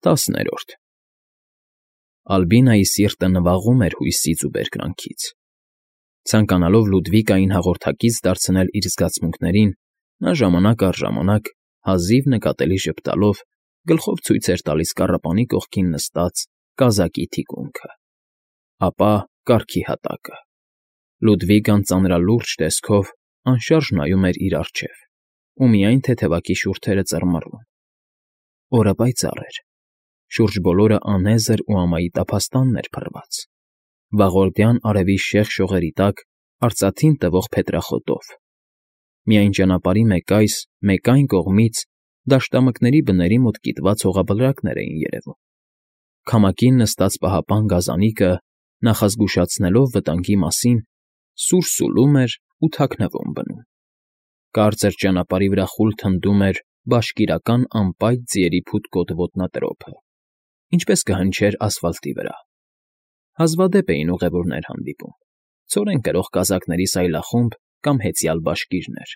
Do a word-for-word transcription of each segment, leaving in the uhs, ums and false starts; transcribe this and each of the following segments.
ՏԱՍՆԵՐՈՐԴ Ալբինայի սիրտը նվաղում էր հույսից ու բերկրանքից։ Ցանկանալով Լուդվիկային հաղորդակից դարձնել իր զգացմունքներին, նա ժամանակ առ ժամանակ, հազիվ նկատելի ժպտալով, գլխով ցույց էր տալիս կառապանի կողքին նստած կազակի թիկունքը, ապա կառքի հատակը։ Լուդվիկան ծանրալուրջ տեսքով անշարժ նայում էր իր առջև ու միայն թեթևակի շուրթերը ծռմռում։ Օրը պայծառ էր, շուրջ բոլորը անեզր ու ամայի տափաստանն էր փռված, վաղորդյան արևի շեղ շողերի տակ արծաթին տվող փետրախոտով։ Միայն ճանապարհի մեկ այս, մեկ այն կողմից դաշտամկների բների մոտ կիտված հողաբլրակներ էին երևում։ Քամակին նստած պահապան գազանիկը, նախազգուշացնելով վտանգի մասին, սուր սուլում էր ու թաքնվում բնում։ Կարծր ճանապարհի վրա խուլ թնդում էր բաշկիրական անպայծ ձիերի փութկոտ ոտնատրոփը, ինչպես կհնչեր ասֆալտի վրա։ Հազվադեպ էին ուղևորներ հանդիպում, ցորեն կրող կազակների սայլախումբ կամ հեծյալ բաշկիրներ,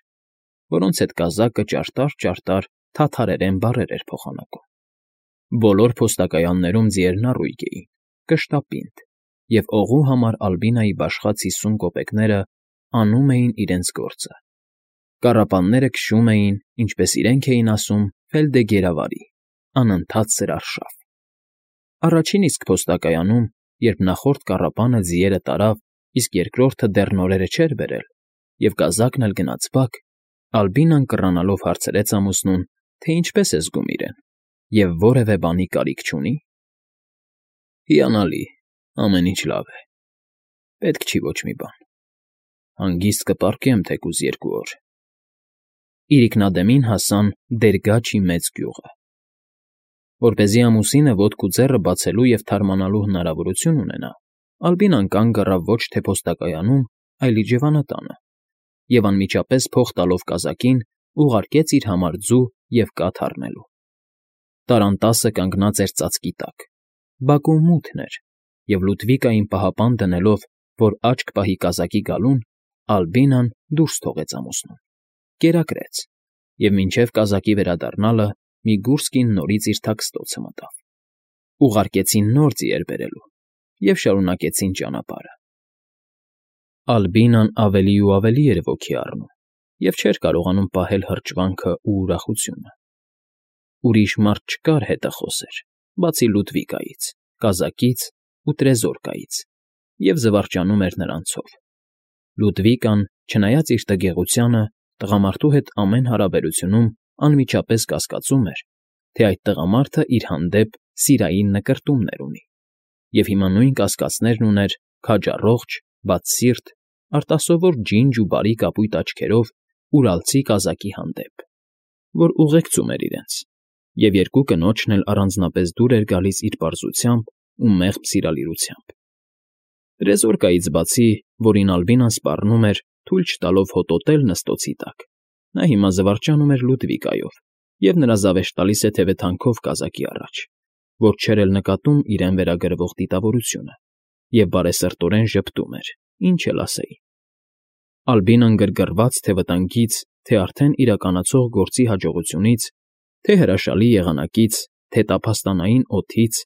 որոնց հետ կազակը ճարտար֊ճարտար թաթարերեն բառեր էր փոխանակում։ Բոլոր փոստակայաններում ձիերն առույգ էին, կշտապինդ, և օղու համար Ալբինայի բաշխած հիսուն կոպեկները անում էին իրենց գործը։ Կառապանները քշում էին, ինչպես իրենք էին ասում, ֆելդեգերավարի, անընդհատ սրարշավ։ Առաջին իսկ փոստակայանում, երբ նախորդ կառապանը ձիերը տարավ, իսկ երկրորդը դեռ նորերը չէր բերել, և կազակն էլ գնաց բակ, Ալբինան կռանալով հարցրեց ամուսնուն, թե ինչպես է զգում իրեն և որևէ բանի կարիք չունի։ Հիանալի, ամեն ինչ լավ է, պետք չի ոչ մի բան, հանգիստ կպառկեմ թեկուզ երկու օր։ Իրիկնադեմին հասան Դերգաչի մեծ գյուղը։ Որպեսզի ամուսինը ոտք ու ձեռը բացելու և թարմանալու հնարավորություն ունենա, Ալբինան կանգ առավ ոչ թե փոստակայանում, այլ իջևանատանը, և անմիջապես փող տալով կազակին, ուղարկեց իր համար ձու և կաթ առնելու։ Տարանտասը կանգնած էր ծածկի տակ, բակում մութն էր, և Լուդվիկային պահապան դնելով, որ աչք պահի կազակի գալուն, Ալբինան դուրս թողեց ամուսնուն, կերակրեց և մինչև կազակի վերադառնալը մի գուրս կին նորից իր թաքստոցը մտավ։ Ուղարկեցին նոր ձիեր բերելու և շարունակեցին ճանապարհը։ Ալբինան ավելի ու ավելի էր ոգի առնում և չէր կարողանում պահել հրճվանքն ու ուրախությունը։ Ուրիշ մարդ չկար հետը խոսեր, բացի Լուդվիկայից, կազակից ու տրեզորկայից, և զվարճանում էր նրանցով։ Լուդվիկան, չնայած իր տգեղությանը, տղամարդու հետ ամեն հարաբերությունում անմիջապես կասկածում էր, թե այդ տղամարդը իր հանդեպ սիրային նկրտումներ ունի, և հիմա նույն կասկածներն ուներ քաջառողջ, բաց սիրտ, արտասովոր ջինջ ու բարի կապույտ աչքերով ուրալցի կազակի հանդեպ, որ ուղեկցում էր իրենց, և երկու կնոջն էլ առանձնապես դուր էր գալիս իր պարզությամբ ու մեղմ սիրալիրությամբ։ Տրեզորկայից բացի, որին Ալբինան սպառնում էր, թույլ չտալով հոտոտել նստոցի տակ, նա հիմա զվարճանում էր Լուդվիկայով և նրա զավեշտալի սեթևեթանքով կազակի առաջ, որ չէր էլ նկատում իրեն վերագրվող դիտավորությունը, և բարեսրտորեն ժպտում էր, ինչ էլ ասեի։ Ալբինան գրգռված թե վտանգից, թե արդեն իրականացող գործի հաջողությունից, թե հրաշալի եղանակից, թե տափաստանային օդից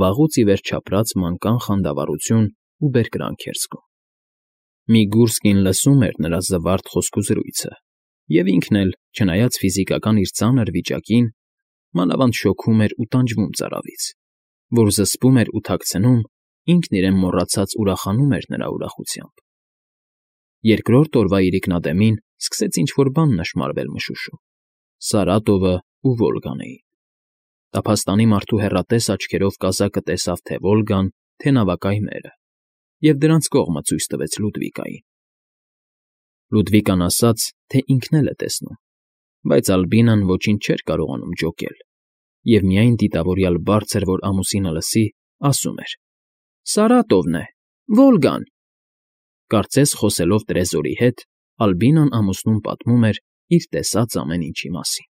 վաղուց ի վեր չապրած մանկան խանդավառություն ու բերկրանք էր զգում։ Մի գուրս կին լսում էր նրա զվարթ խոսքուզրույցը, և ինքն էլ, չնայած ֆիզիկական իր ծանր վիճակին, մանավանդ շոգում էր ու տանջվում ծարավից, որ զսպում էր ու թաքցնում, ինքն իրեն մոռացած ուրախանում էր նրա ուրախությամբ։ Երկրորդ օրվա իրիկնադեմին սկսեց ինչ֊որ բան նշմարվել մշուշում. Սարատովն ու Վոլգան էին։ Տափաստանի մարդու հեռատես աչքերով կազակը տեսավ թե Վոլգան, թե նավակայմերը, և դրանց կողմը ցույց տվեց Լուդվիկային։ Լուդվիկան ասաց, թե ինքն էլ է տեսնում, բայց Ալբինան ոչինչ չէր կարողանում ջոկել, և միայն դիտավորյալ բարձր, որ ամուսինը լսի, ասում էր. Սարատովն է, Վոլգան։ Կարծես խոսելով տրեզորի հետ, Ալբինան ամուսնուն պատմում էր իր տեսած ամեն ինչի մասին։